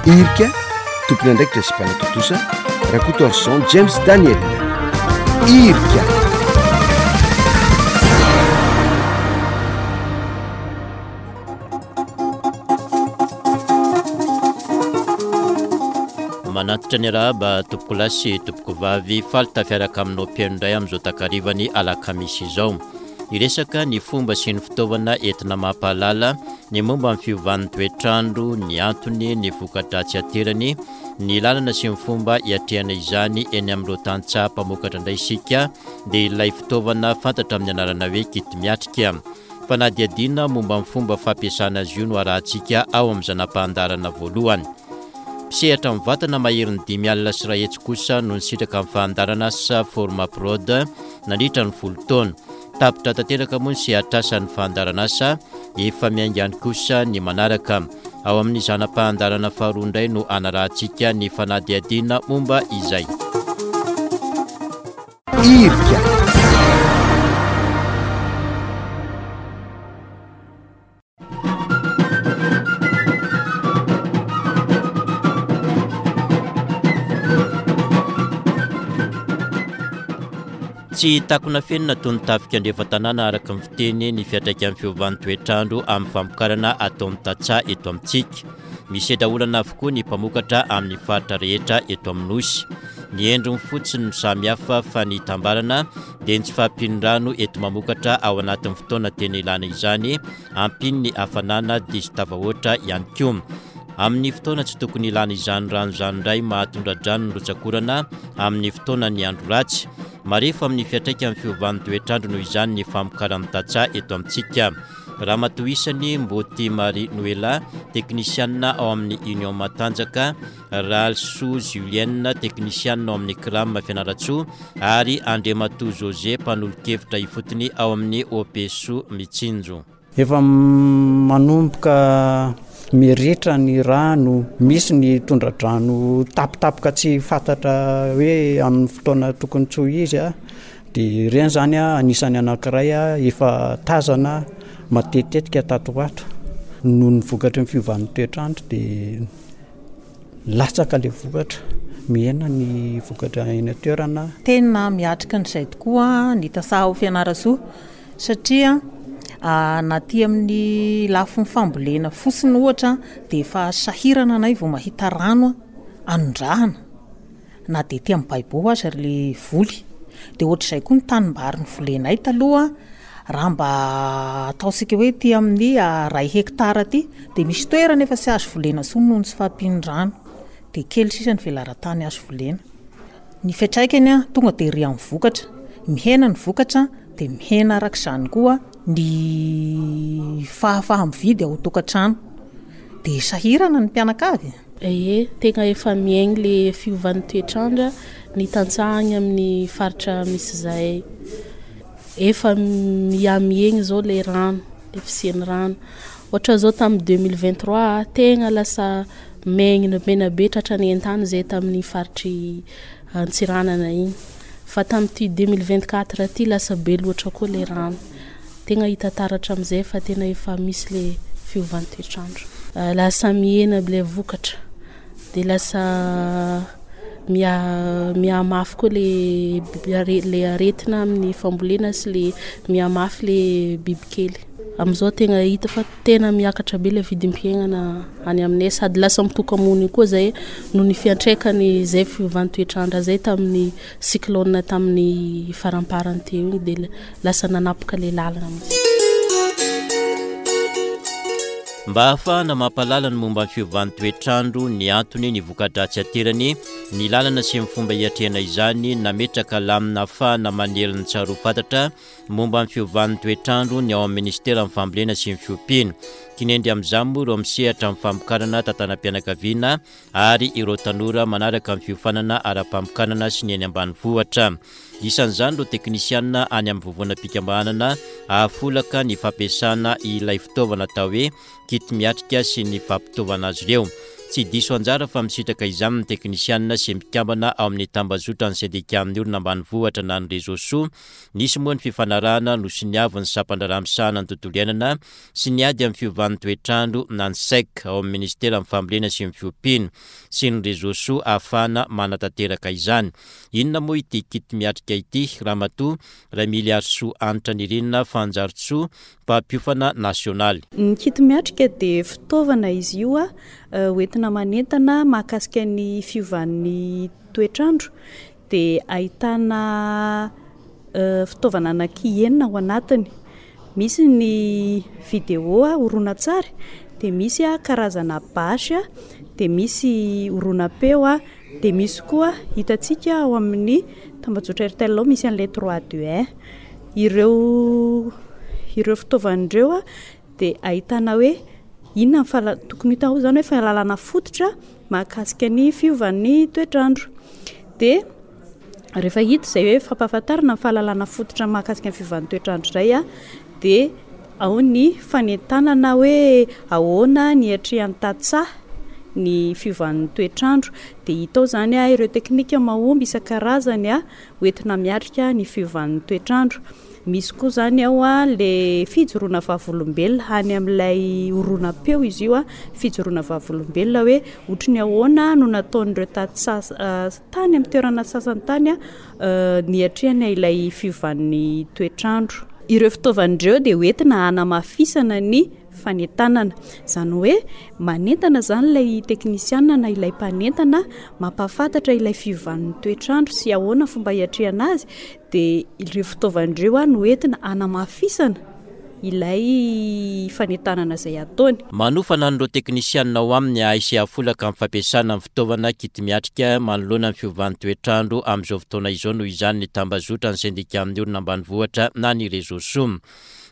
Irika, tompon'andraikitra sy mpanatontosa, Rakotoarison James Daniel. Irika. Manantitra ny arahaba tompokolahy sy tompokovavy, faly tafiaraka aminao mpihaino indray amin'izao takarivan'ny alakamisy izao. Hiresaka ny fomba sy ny fitaovana entina mampahalala ny momba ny fiovan'ny toetr'andro, ny antony, ny voka-dratsy aterany, ny lalana sy ny fomba hiatrehana izany eny amin'ireo tantsaha mpamokatra indray isika dia ilay fitaovana fantatra amin'ny anarana hoe kit miatrika. Fanadihadiana momba ny fomba fampiasana azy io no arahantsika ao amin'ny zana-pahandaharana voalohany. Mpisehatra mivantana maherin'ny 150 kosa no nisitraka ny fandaharanasa Formaprod nandritra ny folo taona. Tapitra tanteraka moa ny sehatr'asan'ny fandaharanasa, efa miainga any kosa ny manaraka. Ao amin'ny zana-pahandaharana faharoa indray no hanarahantsika ny fanadihadiana momba izay. Irika. Tsy takona fenina toy ny tafika andrefan-tanàna araka ny fiteny ny fiantraikan'ny fiovan'ny toetr'andro amin'ny famokarana ataon'ny tantsaha eto amintsika. Misedra olana avokoa ny mpamokatra amin'ny faritra rehetra eto amin'ny Nosy. Ny endriny fotsiny no samy hafa fa ny itambarana dia ny tsy fahampian'ny rano enti-mamokatra ao anatin'ny fotoana tena ilana izany, ampian'ny hafanana diso tafahoatra ihany koa. Amin'ny fotoana tsy tokony ilana izany rano izany indray mahatondra-drano ny rotsak'orana amin'ny fotoanan'ny andro ratsy. Marefo amin'ny fiantraikan'ny fiovan'ny toetr'andro noho izany ny famokaran'ny tantsaha eto amintsika. Ramatoa isany Mboty Marie Noella, teknisianina ao amin'ny Union Matanjaka, Ralisoa Julienne, teknisianina ao amin'ny Cram Fianarantsoa, ary Andriamatoa José, mpanolo-kevitra ifotony ao amin'ny OPSO Mitsinjo. Efa manomboka miritra ny rano, misy ny tondra-drano tampotampoka tsy fantatra hoe amin'ny fotoana tokony tsy ho izy. Dia ireny izany anisan'ny anankiray efa tazana matetitetika tato ho ato. Noho ny vokatry ny fiovan'ny toetr'andro dia latsaka ilay vokatra, mihena ny vokatra eny an-toerana. Tena miatrika an'izay tokoa ny tantsaha ao Fianarantsoa satria na aty amin'ny lafiny fambolena fotsiny ohatra dia efa sahirana anay vao mahita rano anondrahana. na dia aty amin'ny baibo aza le voly. Dia ohatr'izay koa ny tanimbary novolenay taloha, raha mba ataontsika hoe aty amin'ny iray hectare aty, dia misy toerana efa tsy azo volena intsony noho ny tsy fahampian'ny rano, dia kely sisa ny velaran-tany azo volena. Ny fiantraikany tonga dia ery amin'ny vokatra, mihena ny vokatra dia mihena araka izany koa ny fahafaha-mividy ao an-tokantrano, dia sahirana ny mpianakavy. Ie, tegna efa miaigny le fiovan'ny toetr'andra ny tantsaha agny amin'ny faritra misy zahay. Efa mihamihegny zao le rano, le fisian'ny rano. Ohatra zao tamin'ny 2023 tegna lasa maigny mena be tratran'ny haintany zahay tamin'ny faritry Antsiranana igny. Fa tamin'ity 2024 ty lasa be loatra koa le rano. Tegna hita taratra amizay fa tena efa misy le fiovan'ny toetr'andro. Lasa mihena aby le vokatra de lasa miha mihamafy koa le le aretina amin'ny fambolena sy le mihamafy le bibikely. Amizao tegna hita fa tena miakatra be le vidim-piaignana any aminay sady lasa mitoka-monina koa zahay noho ny fiantraikany zay fiovan'ny toetr'andro zay tamin'ny cyclone tamin'ny faramparany teo igny de lasa nanapaka le lalana mihitsy. Mba hahafahana mampahalala ny momba ny fiovan'ny toetr'andro, ny antony, ny voka-dratsy aterany, ny lalana sy ny fomba hiatrehana izany, nametraka lamina ahafahana manely ny tsaroa fantatra momba ny fiovan'ny toetr'andro ny ao amin'ny minisiteran'ny Fambolena sy ny Fiompiana. Kinendry amin'izany moa ireo misehatra amin'ny famokarana tantanam-pianakaviana ary ireo tanora manaraka ny fiofanana ara-pamokarana sy ny eny ambanivohitra. Isan'izany ireo teknisianina any amin'ny vovonam-pikambanana hahafolaka ny fampiasana ilay fitaovana atao hoe kit miatrika sy ny fampitaovana azy ireo. Tsy diso anjara fa misitraka izany ny teknisianina sy mpikambana ao amin'ny tambazotran'ny sendikan'ny olona ambanivohitra na ny Réseau Soa. Nisy moa ny fifanarahana nosoniavin'ny sampandraharaha misahana ny tontolo iainana sy ny ady amin'ny fiovan'ny toetr'andro na ny Sec ao amin'ny minisiteran'ny fambolena sy ny fiompiana sy ny Réseau Soa ahafahana manatanteraka izany. Inona moa ity kit miatrika ity Ramatoa Ramiliarisoa Hanitra Nirina Fanjarintsoa mpampiofana nasionaly. Ny kit miatrika dia fitaovana izy io hoentina manentana mahakasika ny fiovan'ny toetr'andro dia ahitana fitaovana anaky enina ao anatiny. Misy ny vidéo horonantsary, dia misy karazana bâche, dia misy horonam-peo, dia misy koa hitantsika ao amin'ny tambajotra Airtel ao misy an'ilay trois deux un. Ireo ireo fitaovana ireo dia ahitana hoe inona ny fahala- tokony hita ao izany hoe fahalalana fototra mahakasika ny fiovan'ny toetr'andro. Dia rehefa hita izay hoe fampahafantarana ny fahalalana fototra mahakasika ny fiovan'ny toetr'andro izay dia ao ny fanentanana hoe ahoana ny hiatrehan'ny tantsaha ny fiovan'ny toetr'andro. Dia hita ao izany ireo teknika mahomby isan-karazany hoentina miatrika ny fiovan'ny toetr'andro. Misy koa izany ao ilay fijoroana vavolombelona any amin'ilay horonam-peo izy io, fijoroana vavolombelona hoe ohatry ny ahoana no nataon'ireo tantsaha tany amin'ny toerana sasany tany niatrehana ilay fiovan'ny toetr'andro. Ireo fitaovana ireo dia hoentina hanamafisana ny fanentanana. Izany hoe manentana izany ilay teknisiana na ilay mpanentana, mampahafantatra ilay fiovan'ny toetr'andro sy ahoana ny fomba hiatrehana azy, dia ireo fitaovana ireo no entina hanamafisana ilay fanentanana izay ataony. Manofana an'ireo teknisianina ao aminy hahay sy hahafolaka amin'ny fampiasana ny fitaovana kiti-miatrika manoloana ny fiovan'ny toetr'andro amin'izao fotoana izao noho izany ny tambazotran'ny sendikan'ny olona ambanivohitra na ny Réseau Soa.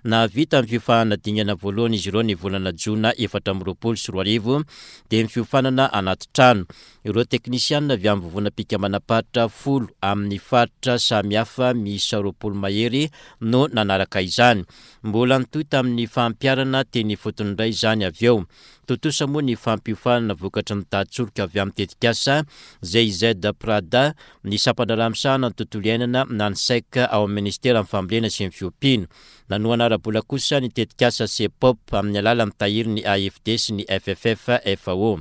Nahavita ny fiofanana dingana voalohany izy ireo ny volana jona 2024 dia ny fiofanana anaty trano. Ireo teknisianina avy amin'ny vovonam-pikambanam-paritra folo amin'ny faritra samihafa miisa 20 mahery no nanaraka izany. Mbola nitohy tamin'ny fampiharana teny ifotony indray izany avy eo. Tontosa moa ny fampiofanana vokatry ny tatsoroka avy amin'ny tetikasa GIZ Prada, ny sampandraharaha misahana ny tontolo iainana na ny Sec ao amin'ny minisiteran'ny fambolena sy ny fiompiana. Nanohana ara-bola kosa ny tetikasa Cepop amin'ny alalan'ny tahirin'ny AFD sy ny FFF FAO.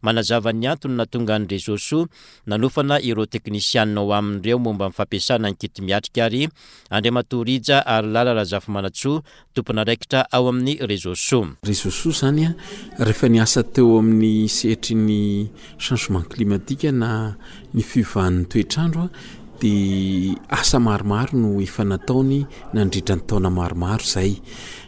Manazava ny antony nahatonga ny Réseau Soa nanofana ireo teknisianina ao aminy ireo momba ny fampiasana ny kit miatrika ary Andriamatoa Rija Harilala Razafimanantsoa, tompon'andraikitra ao amin'ny Réseau Soa. Réseau Soa izany rehefa niasa teo amin'ny sehatry ny changement climatique na ny fiovan'ny toetr'andro dia asa maromaro no efa nataony nandritra ny taona maromaro izay.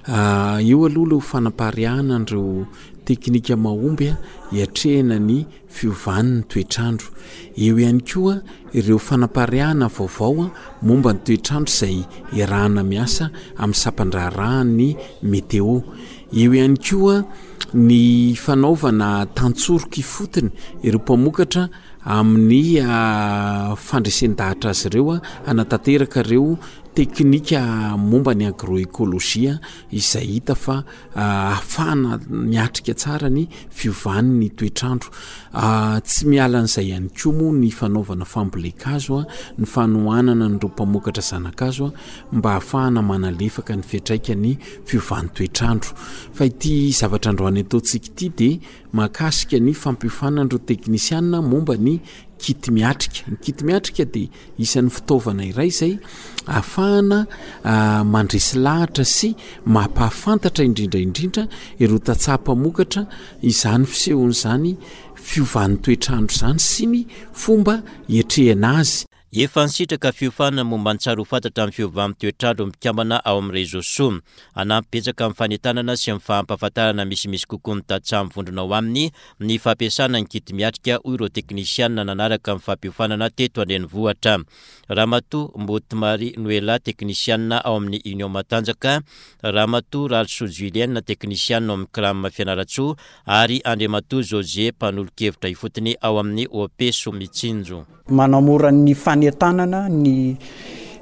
Eo aloha ilay ho fanapariahana an'ireo teknika mahomby hiatrehana ny fiovan'ny toetr'andro. Eo ihany koa ireo fanapariahana vaovao momba ny toetr'andro izay iarahana miasa amin'ny sampan-draharahan'ny Météo. Eo ihany koa ny fanaovana tantsoroka ifotony ireo mpamokatra amin'ny fandresen-dahatra azy ireo hanatanteraka ireo teknika momba ny agroécologie izay hita fa ahafahana miatrika tsara ny fiovan'ny toetr'andro. Tsy miala an'izay ihany koa moa ny fanaovana fambolen-kazo, ny fanohanana an'ireo mpamokatra zana-kazo mba ahafahana manalefaka ny fiantraikan'ny fiovan'ny toetr'andro. Fa ity zavatra androany ataontsika ity dia mahakasika ny fampiofanana ireo teknisiana momba ny kit miatrika. Ny kit miatrika dia Isan'ny fitaovana iray izay ahafahana mandresy lahatra sy mampahafantatra indrindra indrindra ireo tantsaha mpamokatra izany fisehony izany fiovan'ny toetr'andro izany sy ny fomba hiatrehana azy. Efa nisitraka fiofanana momba ny tsara ho fantatra amin'ny fiovan'ny toetr'andro ny mpikambana ao amin'ny Réseau Soa. Hanampy betsaka amin'ny fanentanana sy amin'ny fampahafantarana misimisy kokoa ny tantsaha mivondrona ao aminy ny fampiasana ny kit miatrika, hoy ireo teknisianina nanaraka ny fampiofanana teto an-drenivohitra. Ramatoa Mboto Marie Noella, teknisianina ao amin'ny Union Matanjaka, Ramatoa Ralisoa Julienne, teknisianina ao amin'ny Cram Fianarantsoa ary Andriamatoa José, mpanolo-kevitra ifotony ao amin'ny OP Soamitsinjo. Manamora ny fanentanana ny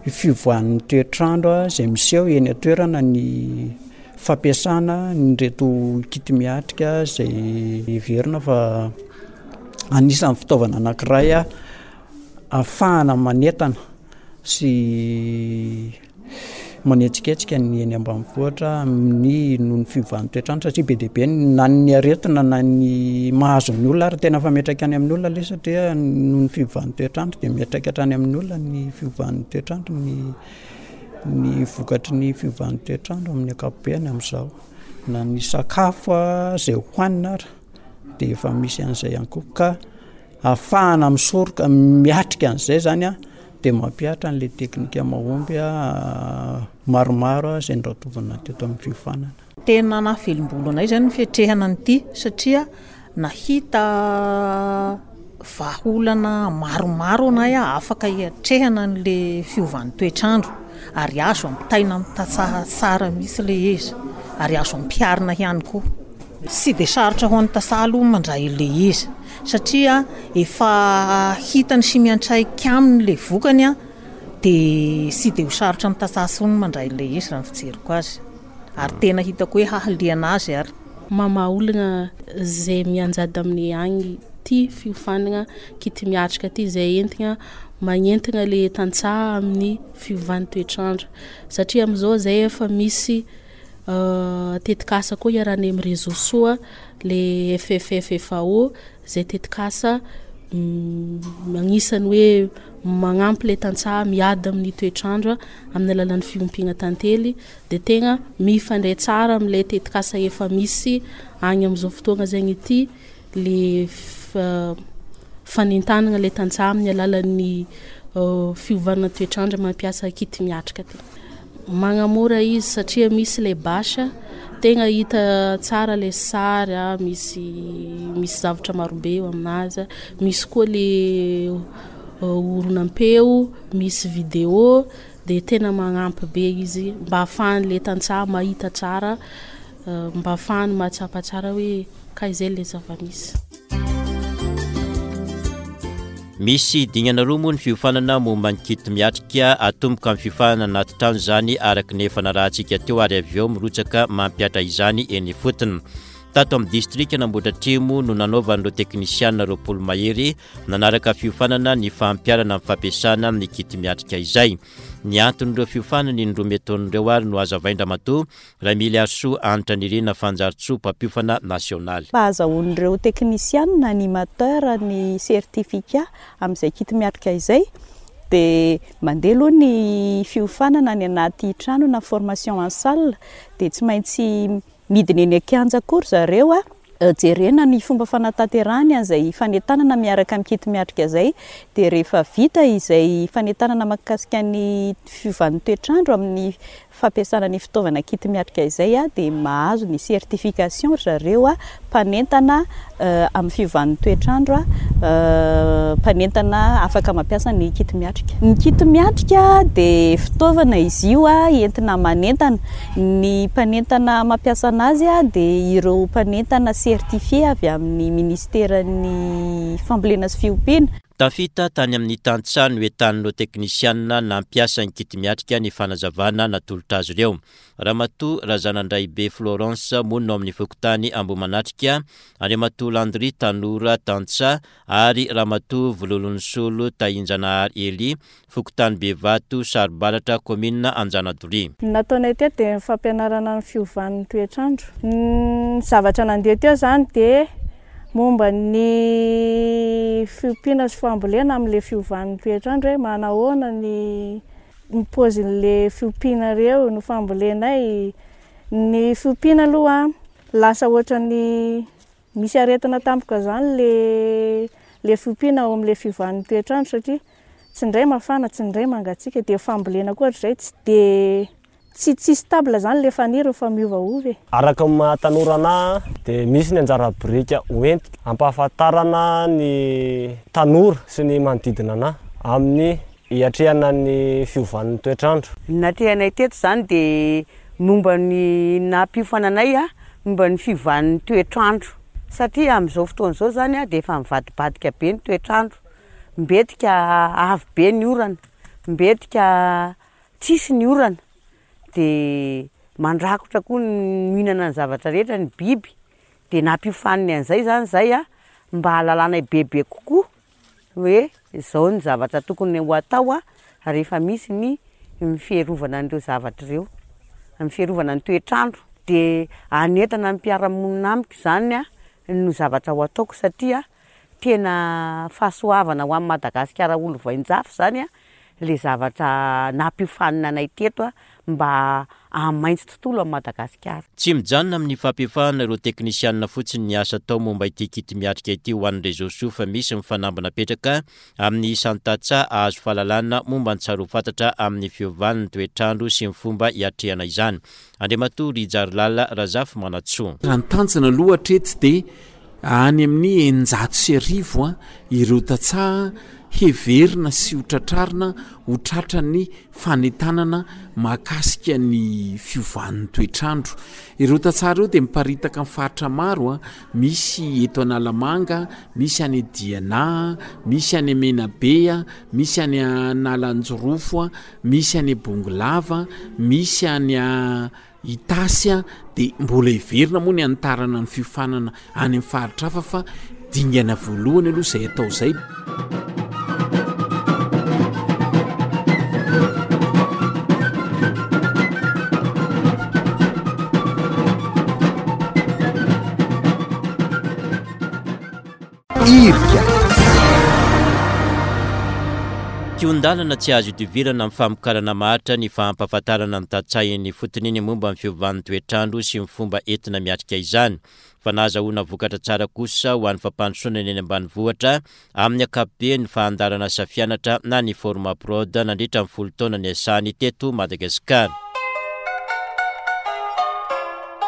fivoahan'ny toetr'andro izay miseho eny an-toerana ny fampiasana an'ireto kit miatrika izay heverina fa. Anisan'ny fitaovana anankiray ahafahana manentana sy manetsiketsika ny eny ambanivohitra amin'ny noho ny fiovan'ny toetr'andro satria be dia be na ny aretina na ny mahazo ny olona ary tena efa miantraika any amin'ny olona ilay izy satria noho ny fiovan'ny toetr'andro dia miantraika hatrany amin'ny olona ny fiovan'ny toetr'andro ny ny vokatry ny fiovan'ny toetr'andro amin'ny ankapobeny amin'izao na ny sakafo izay hohanina ary dia efa misy an'izay ihany koa ka ahafahana misoroka miatrika an'izay zany a dia mampihatra an'ilay teknika mahomby a maromaro izay noratovina teto amin'ny fiofanana. Tena nahavelom-bolo anay izany ny fiatrehana an'ity satria nahita vahaolana maromaro anay afaka hiatrehana an'ilay fiovan'ny toetr'andro ary azo ampitaina amin'ny tantsaha tsara mihitsy ilay izy ary azo ampiharina ihany koa. Tsy dia sarotra ho an'ny tantsaha aloha ny mandray ilay izy satria efa hitany sy miantraika aminy ilay vokany dia tsy dia ho sarotra amin'ny tantsaha intsony ny mandray ilay izy raha ny fijeriko azy ary tena hitako hoe hahaliana azy ary. Mamaha olagna zay mianjady aminay agny ty fiofanagna kity miatrika ty zay entigna magnentigna le tantsaha amin'ny fiovan'ny toetr'andro satria amizao zay efa misy Tetikasa koa iarahanay amin'ny Réseau Soa, le FFF-FAO, izay tetikasa agnisan'ny hoe magnampy le tantsaha miady amin'ny toetr'andro amin'ny alalan'ny fiompiana tantely de tegna mifandray tsara am'le tetikasa efa misy agny am'zao fotoagna zaigny ity le fanentanana le tantsaha amin'ny alalan'ny fiovana toetr'andro mampiasa kit miatrika ty. Magnamora izy satria misy le bâche tegna hita tsara le sary a, misy misy zavatra marobe eo aminazy, misy koa le horonam-peo, misy vidéo de tena magnampy be izy mba ahafahan'le tantsaha mahita tsara mba ahafahany mahatsapa tsara hoe kay zay le zava-misy. Misy dingana roa moa ny fiofanana momba ny kit miatrika, atomboka amin'ny fiofanana anaty trano izany araka ny efa narahantsika teo ary avy eo mirotsaka mampihatra izany eny ifotony. Tato amin'ny distrikan'Ambohidratrimo no nanaovan'ireo teknisianina 20 mahery nanaraka fiofanana ny fampiharana ny fampiasana ny kit miatrika izay. Ny anton'ireo fiofanana indroa metaona ireo ary no hazavain-dRamatoa Ramiliarisoa Hanitra Nirina Fanjaritsoa, mpampiofana nasionaly. Mba hahazahoan'ireo teknisianina, animateur, ny certificat amin'izay kit miatrika izay dia mandeha aloha ny fiofanana any anaty trano na formation en salle dia tsy maintsy midina eny an-kianja koa ry zareo jerena ny fomba fanatanterahany an'izay fanentanana miaraka amin'ny kit miatrika izay dia rehefa vita izay fanentanana mahakasika ny fiovan'ny toetr'andro amin'ny fampiasana ny fitaovana kit miatrika izay dia mahazo ny certification ry zareo mpanentana amin'ny fiovan'ny toetr'andro, mpanentana afaka mampiasa ny kit miatrika. Ny kit miatrika dia fitaovana izy io entina manentana. Ny mpanentana mampiasa anazy dia ireo mpanentana certifié avy amin'ny minisiteran'ny fambolena sy fiompiana. Tafita tany amin'ny tantsaha nohetanin'ireo teknisianina nampiasa ny kit miatrika ny fanazavana natolotra azy ireo. Ramatoa Razanandraibe Florence, monina ao amin'ny fokontany Ambohimanatrika, Andriamatoa Landry Tanora, tantsaha, ary Ramatoa Vololonisolo Tahinjanahary Elie, fokontany Bevato, Sarobaratra, kaominina Anjanadoria. Ny nataonay teto dia ny fampianarana ny fiovan'ny toetr'andro. Ny zavatra nandeha teo izany dia momba ny fiompiana sy fambolena amin'ilay fiovan'ny toetr'andro hoe manahoana ny ny paozin'ilay fiompianareo, ny fambolenay. Ny fiompiana aloha lasa ohatran'ny Misy aretina tampoka izany le le fiompiana ao amin'ilay fiovan'ny toetr'andro satria tsy indray mafana, tsy indray mangatsiaka, dia fambolena koa ohatr'izay tsy dia tsy tsy stable izany le faniry fa miovaova e. Araka ny maha tanora anah dia misy ny anjara biriky hoentiko hampahafantarana ny tanora sy ny manodidina anah amin'ny hiatrehana ny fiovan'ny toetr'andro. Ny natrehanay teto izany dia momba ny nampiofana anay momba ny fiovan'ny toetr'andro satria amin'izao fotoana izao izany dia efa mivadibadika be ny toetr'andro, mbetika avy be ny orana, mbetika tsisy ny orana, dia mandrakotra koa ny mihinana ny zavatra rehetra ny biby, dia nampiofaniny an'izay izany izay. mba hahalalanay bebe kokoa hoe izao ny zavatra tokony ho atao rehefa misy ny fiarovana an'ireo zavatra ireo, ny fiarovana ny toetr'andro. Dia hanentana ny mpiara-monina amiko izany no zavatra ho ataoko satria tena fahasoavana ho an'i Madagasikara ho lovain-jafy izany ilay zavatra nampiofanina anay teto mba hahamaitso tontolo an'i Madagasikara. Tsy mijanona amin'ny fampiofahana ireo teknisianina fotsiny ny asa atao momba ity kiti-miatrika ity ho an'ny Réseau Soa fa misy ny fanamby napetraka amin'ny isan'ny tantsaha hahazo fahalalana momba ny tsara ho fantatra amin'ny fiovan'ny toetr'andro sy ny fomba hiatrehana izany. Andriamatoa Rijarilala Razafimanantsoa. Raha ny tanjona aloha hatreto dia Any amin'ny 1600 ireo tantsaha heverina sy ho tratrarina ho tratran'ny fanentanana mahakasika ny fiovan'ny toetr'andro. Ireo tantsaha ireo dia miparitaka amin'ny faritra maro, misy eto Analamanga, misy any Diana, misy any Menabe, misy any Analanjirofo, misy any Bongolava, misy any Itasy a, dia mbola heverina moa ny hanitarana ny fiofanana any amin'ny faritra hafa fa dingana voalohany aloha izay atao izay. Irika. Kihon-dalana tsy azo idivirana amin'ny famokarana maharitra ny fampahafantarana ny tantsaha eny ifotony ny momba ny fiovan'ny toetr'andro sy ny fomba entina miatrika izany. Fa nahazahoana vokatra tsara kosa ho an'ny fampandrosoana ny eny ambanivohitra amin'ny ankapobeny ny fahandaran'asa fianatra na ny Formaprod nandritra ny folo taona niasany teto Madagasikara.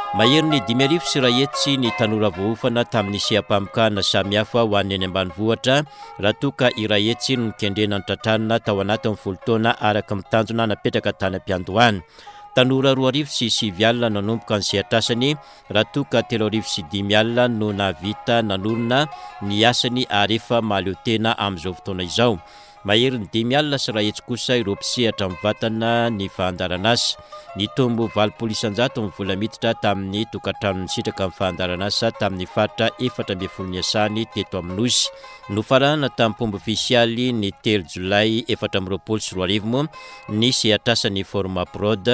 Maherin'ny 1500 ny tanora voaofana tamin'ny seha-pamokarana samihafa ho an'ny eny ambanivohitra, raha toa ka 100 no nokendrena notratrarina tao anatin'ny folo taona araka ny tanjona napetraka tany am-piandohana. Tanora 2009 nanomboka ny sehatr'asany, raha toa ka 3005 no nahavita nanorina ny asany ary efa mahaleo tena amin'izao fotoana izao. Maherin'ny 150 kosa ireo mpisehatra mivantana ny fandaharanasa. Nitombo 80% ny vola miditra tamin'ny tokantrano nisitraka ny fandaharanasa tamin'ny faritra 14 niasany teto amin'ny Nosy. Nofaranana tamim-pomba ofisialy ny 3 jolay 2024 moa ny sehatrasan'ny Formaprod,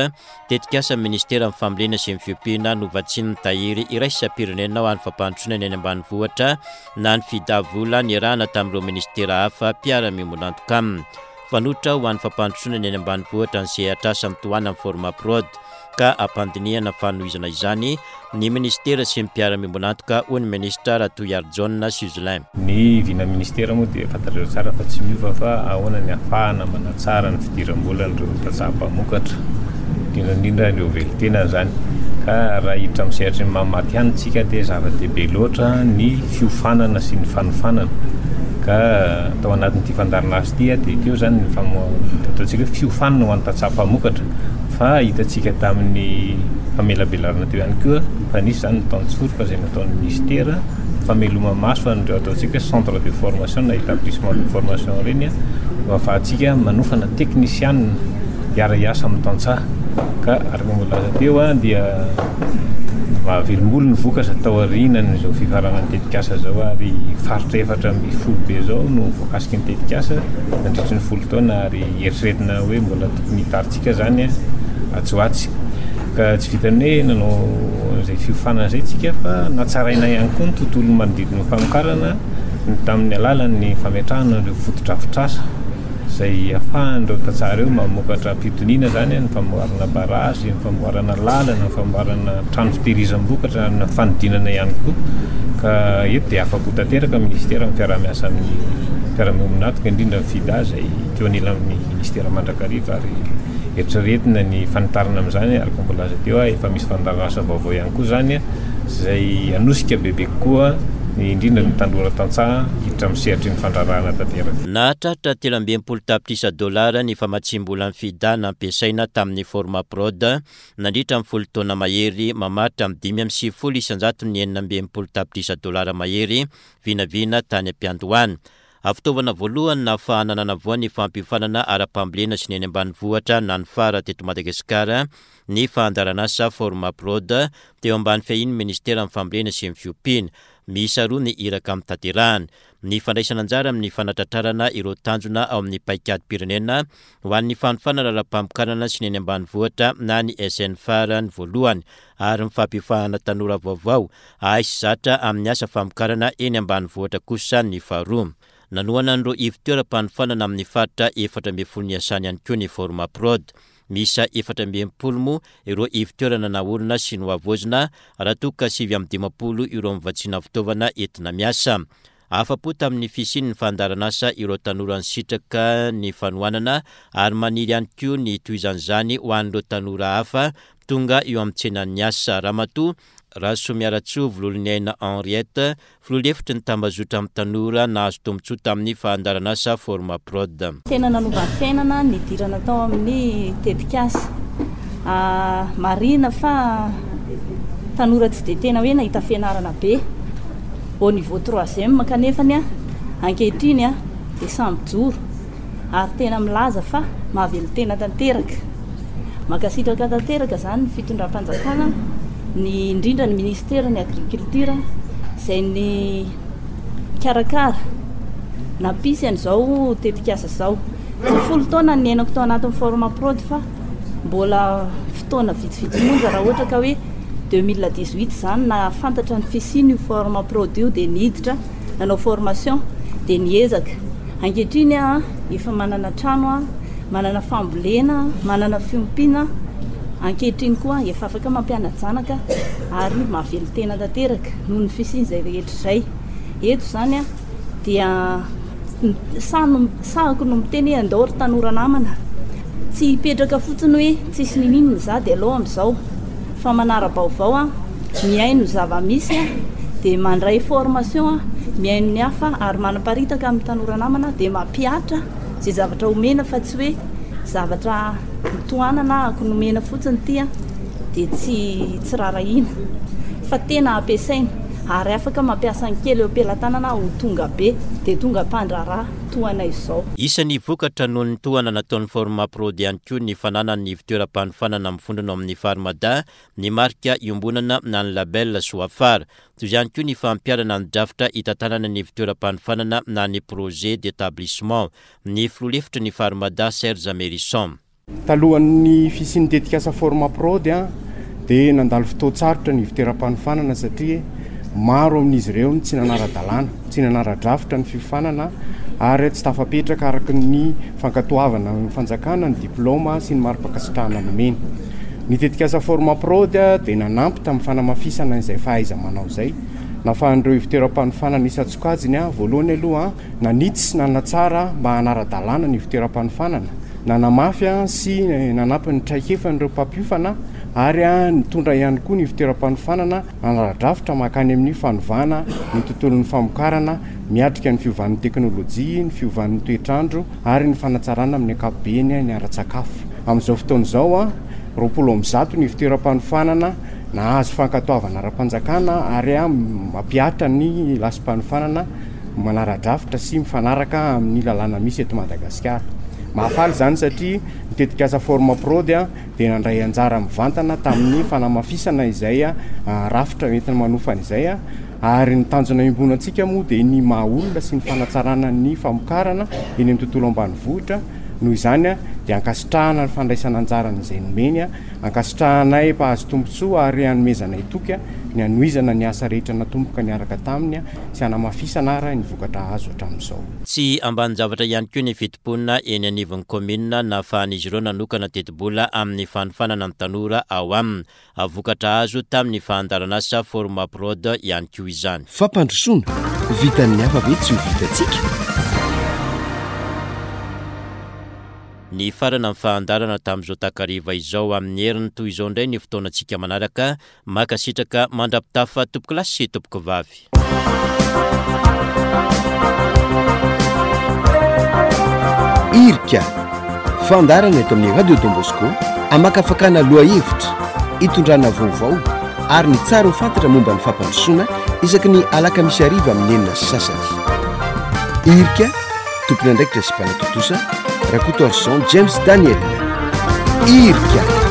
Tetikasan'ny Ministeran'ny Fambolena sy ny Fiompiana novatsian'ny Tahiry Iraisam-pirenena ho an'ny Fampandrosoana ny any Ambanivohitra na ny FIDA vola niarahana tamin'ireo minisitera hafa mpiara-miombon'antoka aminy. Fanoitra ho an'ny fampandrosoana ny any ambanivohitra ny sehatr'asa mitohanan'ny Formaprod ka ampandinihana fanohizana izany ny minisitera sy ny mpiara-miombon'antoka, hoy ny minisitra Ratohiarijaona Suzelin. Ny vina ministera moa dia fantatrareo tsara fa tsy miova fa ahoana ny ahafahana manatsara ny fidiram-bolan'ireo tantsaha mpamokatra, indrindra indrindra ireo velon-tenany izany. Ka raha hiditra amin'ny sehatry ny maha matihanina isika dia zava-dehibe loatra ny fiofanana sy ny fanofanana. Ka tao anatin'ity fandaharanasa ity dia teo izany ny ataontsika hoe fiofanana ho an'ny tantsaha mpamokatra fa hitantsika tamin'ny famelabelarana teo ihany koa fa nisy izany ny tantsoroka izay nataon'ny minisitera fameloma-maso an'ireo ataontsika hoe centre de formation na établissement de formation ireny mba ahafahantsika manofana teknisianina hiara-hiasa amin'ny tantsaha ka araka ny voalaza teo dia mahavelom-bolo ny vokatra taorianan'izao fifaranan'ny tetikasa izao ary faritra 14 be izao no voakasiky ny tetikasa nandritry ny folo taona ary eritreretina hoe mbola tokony hitarintsika izany atsy ho atsy. Ka tsy vitan'ny hoe nanao izay fiofanana izay isika fa natsaraina ihany koa ny tontolo manodidina ny famokarana tamin'ny alalan'ny fametrahana ireo fotodrafitrasa izay ahafahan'ireo tantsaha ireo mamokatra am-pitoniana izany, ny famboarana barazy, ny famboarana lalana, ny famboarana trano fitehirizam-bokatra, ny fanodinana ihany koa. Ka eto dia afa-po tanteraka ny minisitera amin'ny fiaraha-miasa amin'ny mpiara-miombon'antoka indrindra ny FIDA izay teo anilan'ny minisitera mandrakariva ary Eritreretina ny fanitarana amin'izany araka ny voalaza teo, efa misy fandaharanasa vaovao ihany koa izany izay hanosika bebe kokoa ny indrindra ny tanora tantsaha hiditra amin'ny sehatry ny fandraharahana tanteraka. Nahatratra 63 tapitrisa dolara ny famatsiam-bolan'ny FIDA nampiasaina tamin'ny Formaprod nandritra ny folo taona mahery, mamaritra amin'ny 95 isan-jaton'ny 66 tapitrisa dolara mahery vinavina tany am-piandohana. Fitaovana voalohany nahafahana nanavoa ny fampiofanana ara-pambolena sy ny eny ambanivohitra na ny fara teto Madagasikara ny fandaharanasa Formaprod teo ambany fiahian'ny Ministeran'ny Fambolena sy ny Fiompiana. Miisa roa ny iraka notanterahana. Ny fandraisana anjara amin'ny fanatratrarana ireo tanjona ao amin'ny paikadim-pirenena ho an'ny fanofanana ara-pamokarana sy ny eny ambanivohitra na ny SNFAR ny voalohany ary ny fampiofahana tanora vaovao hahay sy zatra amin'ny asa famokarana eny ambanivohitra kosa ny faharoa. Nanohana an'ireo ivon-toeram-panofanana amin'ny faritra 14 niasany ihany koa ny Formaprod. Miisa 64 moa ireo ivon-toerana naorina sy nohavaozina raha toa ka 59 ireo novatsiana fitaovana entina miasa. Afa-po tamin'ny fisian'ny fandaharanasa ireo tanora nisitraka ny fanohanana ary maniry ihany koa ny hitohizan'izany ho an'ireo tanora hafa tonga eo amin'ny tsenan'ny asa. Ramatoa Rasoamiaratsoa Vololoniaina Henriette, Filoha lefitry ny tambazotra amin'ny tanora nahazo tombontsoa tamin'ny fandaharanasa Formaprod. Tena nanova fiainana ny nidirana tao amin'ny tetikasa. Marihina fa tanora tsy dia tena hoe nahita fianarana be au niveau troisième kanefany ankehitriny dia samy mijoro ary tena milaza fa mahavelon-tena tanteraka. Mankasitraka tanteraka izany ny fitondram-panjakana, ny indrindra ny minisiteran'ny agriculture izay nikarakara nampisy an'izao tetikasa izao. Tsy folo taona ny niainako tao anatin'ny Formaprod fa mbola fotoana vitsivitsy monja raha ohatra ka hoe 2018 izany nahafantatra ny fisian'io Formaprod io dia niditra nanao formation dia niezaka. Ankehitriny aho efa manana trano aho, manana fambolena, manana fiompiana, ankehitriny koa efa afaka mampiana-janaka ary mahavelon-tena tanteraka noho ny fisian'izay rehetra izay. Eto izany dia sahy sahiko no miteny hoe andao ry tanora namana, tsy hipetraka fotsiny hoe tsisy ninininona za dia alao amin'izao fa manara-baovao aho, mihaino ny zava-misy aho, dia mandray formation aho, mihaino ny hafa ary manaparitaka amin'ny tanora namana dia mampihatra izay zavatra omena fa tsy hoe zavatra tohanana ahako nomena fotsiny ity an, dia tsy tsy rarahiana fa tena ampiasaina ary afaka mampiasa ny kely eo am-pelatanana ho tonga be dia tonga mpandraharaha toa anay izao. Isan'ny vokatra noho ny tohana nataon'ny Formaprod ihany koa ny fananany ny ivon-toeram-panofanana mivondrona ao amin'ny Farmada, ny marika iombonana na ny label Soafara. Toy izany koa ny fampiharana ny drafitra hitantanana ny ivon-toeram-panofanana na ny projet d'établissement. Ny filoha lefitry ny Farmada, Serge Mérison. Talohan'ny fisian'ny tetikasa Formaprod dia nandalo fotoan-tsarotra ny ivon-toeram-panofanana satria maro amin'izy ireo no tsy nanara-dalàna, tsy nanara-drafitra ny fiofanana ary tsy tafapetraka araka ny fankatoavana ny fanjakana ny diplaoma sy ny mari-pankasitrahana nomeny. Ny tetikasa Formaprod dia nanampy tamin'ny fanamafisana izay fahaiza-manao izay. Nafahan'ireo ivon-toeram-panofanana isan-tsokajiny, voalohany aloha, nanitsy sy nanatsara mba hanara-dalàna ny ivon-toeram-panofanana, nanamafy sy nanampy ny traikefan'ireo mpampiofana ary nitondra ihany koa ny ivon-toeram-panofanana hanara-drafitra mankany amin'ny fanovana ny tontolon'ny famokarana miatrika ny fiovan'ny teknolojia, ny fiovan'ny toetr'andro ary ny fanatsarana amin'ny ankapobeny ny ara-tsakafo. Amin'izao fotoana izao, 120 ny ivon-toeram-panofanana nahazo fankatoavana ara-panjakana ary mampihatra ny lasi-panofanana manara-drafitra sy mifanaraka amin'ny lalàna misy eto Madagasikara. Mahafaly izany satria ny tetikasa Formaprod dia nandray anjara mivantana tamin'ny fanamafisana izay rafitra entina manofana izay ary ny tanjona iombonantsika moa dia ny maha olona sy ny fanatsarana ny famokarana eny amin'ny tontolo ambanivohitra. Noho izany dia ankasitrahana ny fandraisana anjarany izay nomeny, ankasitrahanay mpahazo tombontsoa ary anomezanay toky ny hanohizana ny asa rehetra natomboka niaraka taminy sy hanamafisana ary ny vokatra azo hatramin'izao. Tsy ambanin-javatra ihany koa ny fitompoana eny anivon'ny kaominina nahafahan'izy ireo nanokana tetibola amin'ny fanofanana ny tanora ao aminy. Vokatra azo tamin'ny fandaharanasa Formaprod ihany koa izany. Fampandrosoana, vitan'ny hafa ve tsy ho vitantsika? Nifarana ny fandaharana tamin'izao takariva izao. Amin'ny heriny toy izao indray ny fotoanantsika manaraka. Mankasitraka mandra-pitafa tompokolahy sy tompokovavy. Irika, fandaharana eto amin'ny Radio Don Bosco hamakafakana lohahevitra, hitondrana vaovao ary ny tsara ho fantatra momba ny fampandrosoana isaky ny alakamisy hariva amin'ny 6:30. Irika, tompon'andraikitra sy mpanatontosa, Rakotoarison James Daniel. Irika.